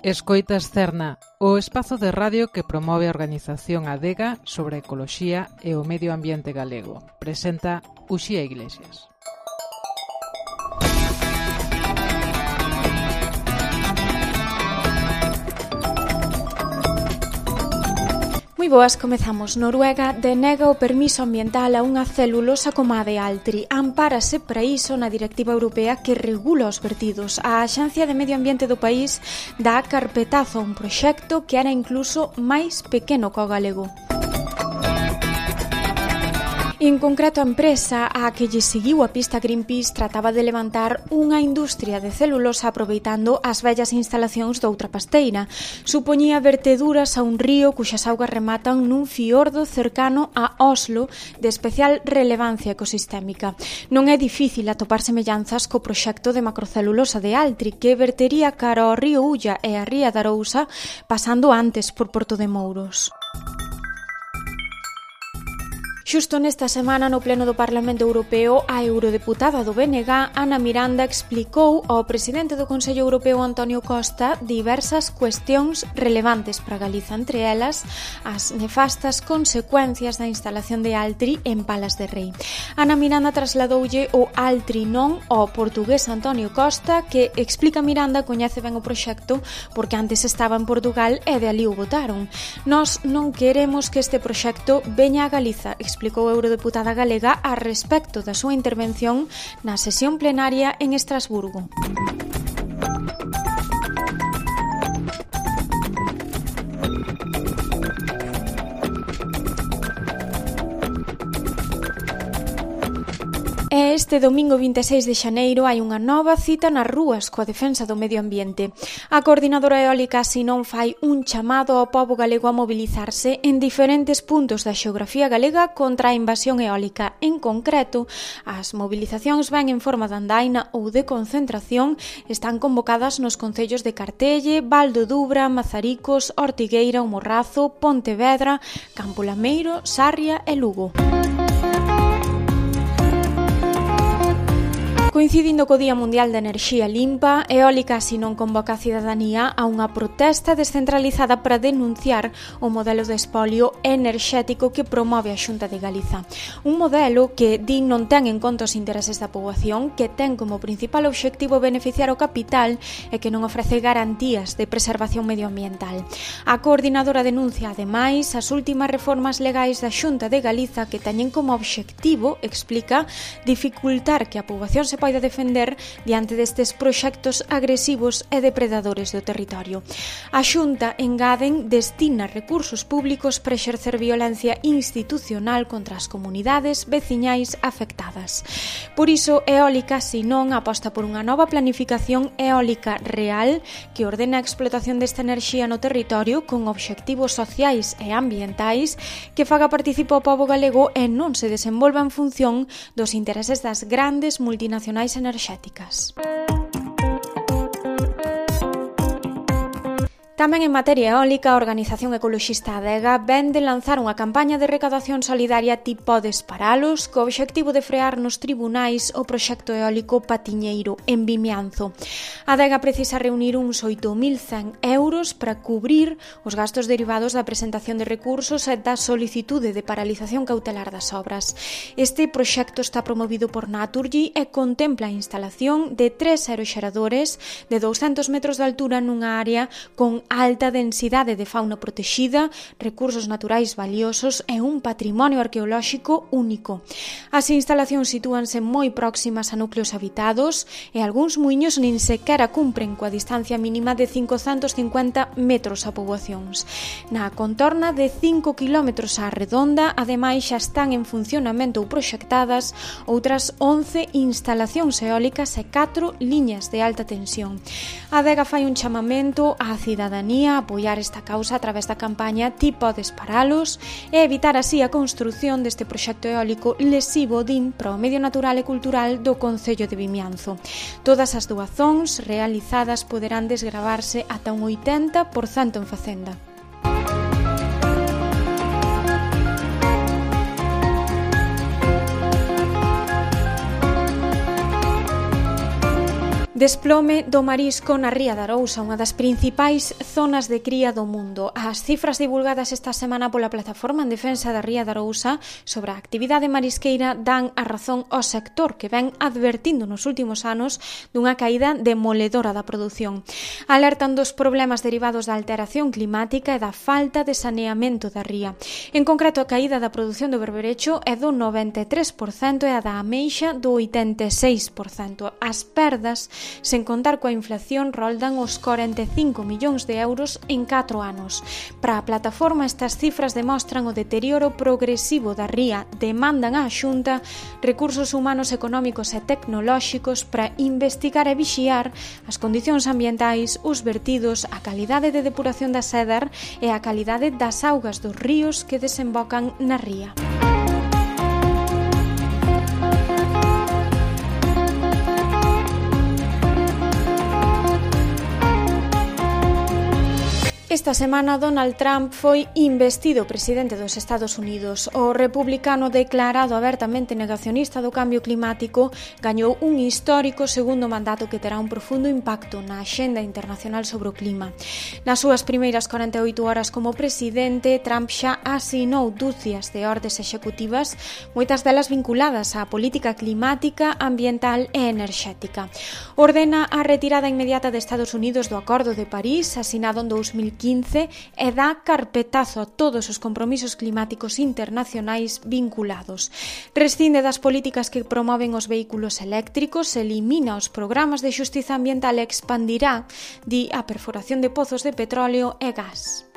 Escoitas Cerna, o espazo de radio que promove a organización Adega sobre a ecoloxía e o medio ambiente galego. Presenta Uxía Iglesias. Moi boas, comezamos. Noruega denega o permiso ambiental a unha celulosa como a de Altri. Ampárase para iso na Directiva Europea que regula os vertidos. A Axencia de Medio Ambiente do país dá carpetazo a un proxecto que era incluso máis pequeno que o galego. En concreto, a empresa a que lle seguiu a pista Greenpeace trataba de levantar unha industria de celulosa aproveitando as vellas instalacións doutra pasteira. Supoñía verteduras a un río cuxas augas rematan nun fiordo cercano a Oslo de especial relevancia ecosistémica. Non é difícil atopar semellanzas co proxecto de macrocelulosa de Altri que vertería cara ao río Ulla e a ría da Arousa pasando antes por Porto de Mouros. Xusto nesta semana, no pleno do Parlamento Europeo, a eurodeputada do BNG, Ana Miranda, explicou ao presidente do Consello Europeo, Antonio Costa, diversas cuestións relevantes para Galiza, entre elas as nefastas consecuencias da instalación de Altri en Palas de Rei. Ana Miranda trasladoulle o Altri non ao portugués Antonio Costa, que, explica Miranda, coñece ben o proxecto porque antes estaba en Portugal e de ali o votaron. Nós non queremos que este proxecto veña a Galiza, explicou a eurodeputada galega a respecto da súa intervención na sesión plenaria en Estrasburgo. Este domingo 26 de xaneiro hai unha nova cita nas rúas coa defensa do medio ambiente. A coordinadora eólica Sinón fai un chamado ao pobo galego a mobilizarse en diferentes puntos da xeografía galega contra a invasión eólica. En concreto, as mobilizacións ven en forma de andaina ou de concentración, están convocadas nos concellos de Cartelle, Val do Dubra, Mazaricos, Ortigueira, O Morrazo, Pontevedra, Campo Lameiro, Sarria e Lugo. Coincidindo co Día Mundial de Enerxía Limpa, Eólica Sinón convoca a cidadanía a unha protesta descentralizada para denunciar o modelo de espolio enerxético que promove a Xunta de Galiza. Un modelo que din non ten en conta os intereses da poboación, que ten como principal obxectivo beneficiar o capital e que non ofrece garantías de preservación medioambiental. A coordinadora denuncia, ademais, as últimas reformas legais da Xunta de Galiza que teñen como obxectivo, explica, dificultar que a poboación se poida defender diante destes proxectos agresivos e depredadores do territorio. A Xunta, engaden, destina recursos públicos para exercer violencia institucional contra as comunidades veciñais afectadas. Por iso, Eólica Sinón aposta por unha nova planificación eólica real que ordena a explotación desta enerxía no territorio con obxectivos sociais e ambientais que faga participar o pobo galego e non se desenvolva en función dos intereses das grandes multinacionais enerxéticas. Tamén en materia eólica, a organización ecoloxista Adega ven de lanzar unha campaña de recadación solidaria Ti podes paralos, co obxectivo de frear nos tribunais o proxecto eólico Patiñeiro, en Vimianzo. Adega precisa reunir uns 8.100 euros para cubrir os gastos derivados da presentación de recursos e da solicitude de paralización cautelar das obras. Este proxecto está promovido por Naturgy e contempla a instalación de 3 aeroxeradores de 200 metros de altura nunha área con alta densidade de fauna protexida, recursos naturais valiosos e un patrimonio arqueolóxico único. As instalacións sitúanse moi próximas a núcleos habitados e algúns muiños nin sequera cumpren coa distancia mínima de 550 metros a poboacións. Na contorna de 5 km á redonda, ademais xa están en funcionamento ou proxectadas outras 11 instalacións eólicas e 4 liñas de alta tensión. A Adega fai un chamamento á cidadania a apoiar esta causa a través da campaña Ti podes paralos e evitar así a construción deste proxecto eólico lesivo din para o medio natural e cultural do Concello de Vimianzo. Todas as doazóns realizadas poderán desgravarse ata un 80% en Facenda. Desplome do marisco na Ría de Arousa, unha das principais zonas de cría do mundo. As cifras divulgadas esta semana pola Plataforma en Defensa da Ría de Arousa sobre a actividade marisqueira dan a razón ao sector, que ven advertindo nos últimos anos dunha caída demoledora da produción. Alertan dos problemas derivados da alteración climática e da falta de saneamento da ría. En concreto, a caída da produción do berberecho é do 93% e a da ameixa do 86%. As perdas, sen contar coa inflación, roldan os 45 millóns de euros en 4 anos. Para a plataforma, estas cifras demostran o deterioro progresivo da ría, demandan á Xunta recursos humanos, económicos e tecnolóxicos para investigar e vixiar as condicións ambientais, os vertidos, a calidade de depuración da Sédar e a calidade das augas dos ríos que desembocan na ría. Esta semana, Donald Trump foi investido presidente dos Estados Unidos. O republicano declarado abertamente negacionista do cambio climático gañou un histórico segundo mandato que terá un profundo impacto na axenda internacional sobre o clima. Nas súas primeiras 48 horas como presidente, Trump xa asinou dúcias de ordes executivas, moitas delas vinculadas á política climática, ambiental e enerxética. Ordena a retirada inmediata de Estados Unidos do Acordo de París, asinado en 2015, e dá carpetazo a todos os compromisos climáticos internacionais vinculados. Rescinde das políticas que promoven os vehículos eléctricos, elimina os programas de xustiza ambiental e expandirá, di, a perforación de pozos de petróleo e gas.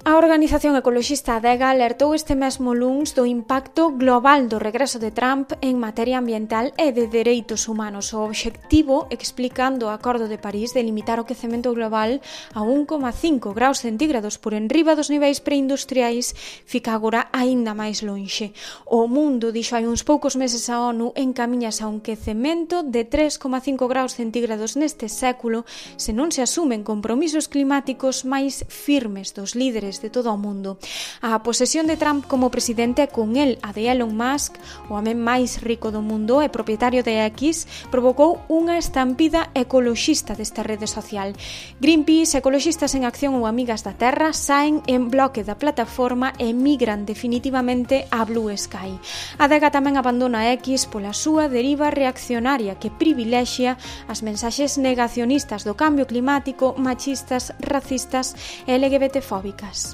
A organización ecoloxista Adega alertou este mesmo luns do impacto global do regreso de Trump en materia ambiental e de dereitos humanos. O obxectivo, explicando o Acordo de París, de limitar o quecemento global a 1,5 graus centígrados por enriba dos niveis preindustriais, fica agora aínda máis lonxe. O mundo, dixo hai uns poucos meses a ONU, encamiñase a un quecemento de 3,5 graus centígrados neste século se non se asumen compromisos climáticos máis firmes dos líderes de todo o mundo. A posesión de Trump como presidente e con el a de Elon Musk, o home máis rico do mundo e propietario de X, provocou unha estampida ecoloxista desta rede social. Greenpeace, Ecoloxistas en Acción ou Amigas da Terra saen en bloque da plataforma e migran definitivamente a Blue Sky. A Adega tamén abandona X pola súa deriva reaccionaria que privilexia as mensaxes negacionistas do cambio climático, machistas, racistas e LGBTfóbicas.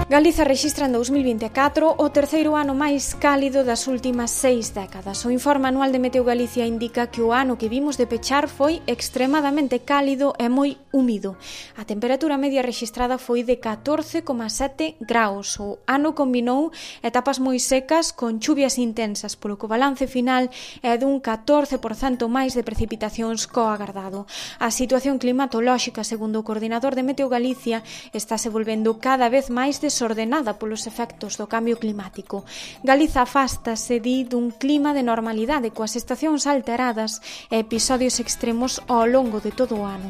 Galiza rexistra en 2024 o terceiro ano máis cálido das últimas 6 décadas. O informe anual de Meteo Galicia indica que o ano que vimos de pechar foi extremadamente cálido e moi húmido. A temperatura media rexistrada foi de 14,7 graus. O ano combinou etapas moi secas con chuvias intensas, polo que o balance final é dun 14% máis de precipitacións co agardado. A situación climatolóxica, segundo o coordinador de Meteo Galicia, está se volvendo cada vez máis desordenada polos efectos do cambio climático. Galiza afástase, di, dun clima de normalidade coas estacións alteradas e episodios extremos ao longo de todo o ano.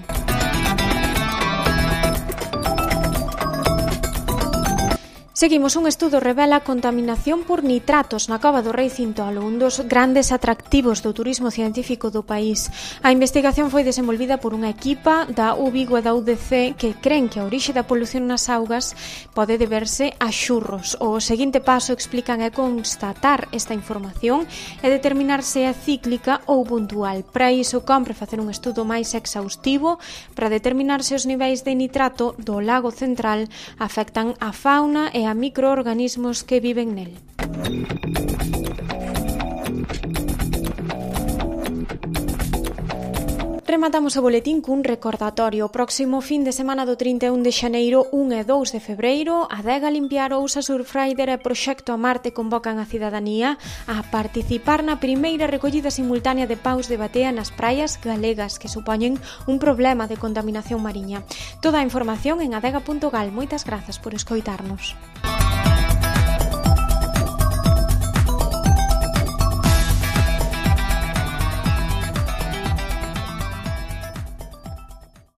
Seguimos, un estudo revela contaminación por nitratos na Cova do Rei Cintolo, un dos grandes atractivos do turismo científico do país. A investigación foi desenvolvida por unha equipa da UVigo e da UDC que creen que a orixe da polución nas augas pode deberse a xurros. O seguinte paso, explican, é constatar esta información e determinar se é cíclica ou puntual. Para iso, compre facer un estudo máis exhaustivo para determinar se os niveis de nitrato do lago central afectan a fauna e a microorganismos que viven nel. Rematamos o boletín cun recordatorio. O próximo fin de semana do 31 de xaneiro, 1 e 2 de febreiro, Adega Limpiar Ousa Surfrider e Proxecto a Marte convocan a cidadanía a participar na primeira recollida simultánea de paus de batea nas praias galegas que supoñen un problema de contaminación mariña. Toda a información en adega.gal. Moitas grazas por escoitarnos.